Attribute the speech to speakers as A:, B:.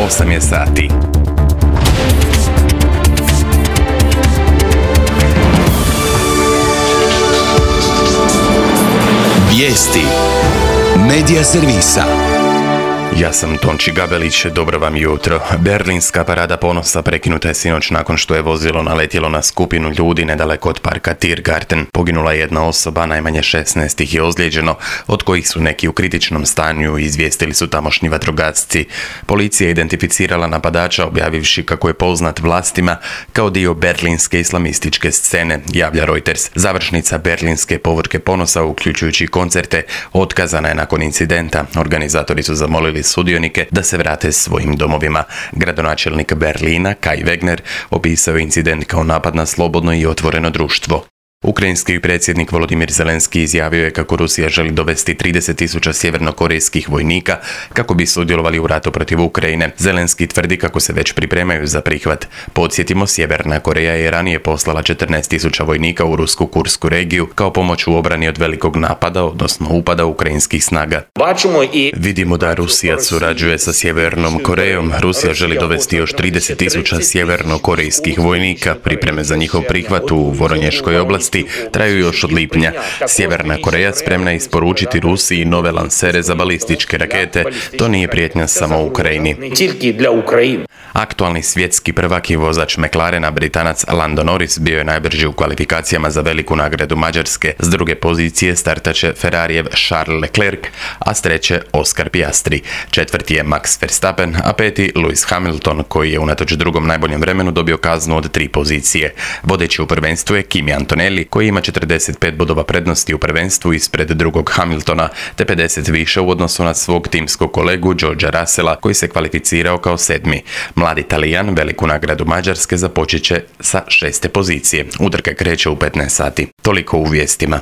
A: 8 je sati.
B: Vijesti Medija servisa.
A: Ja sam Tonči Gabelić, dobro vam jutro. Berlinska parada ponosa prekinuta je sinoć nakon što je vozilo naletjelo na skupinu ljudi nedaleko od parka Tiergarten. Poginula je jedna osoba, najmanje 16 ih je ozlijeđeno, od kojih su neki u kritičnom stanju, izvijestili su tamošnji vatrogasci. Policija je identificirala napadača, objavivši kako je poznat vlastima kao dio berlinske islamističke scene, javlja Reuters. Završnica berlinske povorke ponosa, uključujući koncerte, otkazana je nakon incidenta. Organizatori su zamolili sudionike da se vrate svojim domovima. Gradonačelnik Berlina, Kai Wegner, opisao je incident kao napad na slobodno i otvoreno društvo. Ukrajinski predsjednik Volodimir Zelenski izjavio je kako Rusija želi dovesti 30.000 sjevernokorejskih vojnika kako bi sudjelovali u ratu protiv Ukrajine. Zelenski tvrdi kako se već pripremaju za prihvat. Podsjetimo, Sjeverna Koreja je ranije poslala 14.000 vojnika u rusku Kursku regiju kao pomoć u obrani od velikog napada, odnosno upada ukrajinskih snaga. Vidimo da Rusija surađuje sa Sjevernom Korejom. Rusija želi dovesti još 30.000 sjevernokorejskih vojnika. Pripreme za njihov prihvat u Voronješkoj oblasti traju još od lipnja. Sjeverna Koreja spremna je isporučiti Rusiji nove lansere za balističke rakete. To nije prijetnja samo Ukrajini. Aktualni svjetski prvak i vozač McLarena, Britanac Lando Norris, bio je najbrži u kvalifikacijama za veliku nagradu Mađarske. S druge pozicije startaće Ferrarijev Charles Leclerc, a s treće Oscar Piastri. Četvrti je Max Verstappen, a peti Lewis Hamilton, koji je unatoč drugom najboljem vremenu dobio kaznu od 3 pozicije. Vodeći u prvenstvu je Kimi Antonelli, koji ima 45 bodova prednosti u prvenstvu ispred drugog Hamiltona, te 50 više u odnosu na svog timskog kolegu Georgea Russella, koji se kvalificirao kao 7. Mladi Talijan veliku nagradu Mađarske započet će sa 6. pozicije. Utrka kreće u 15 sati. Toliko u vijestima.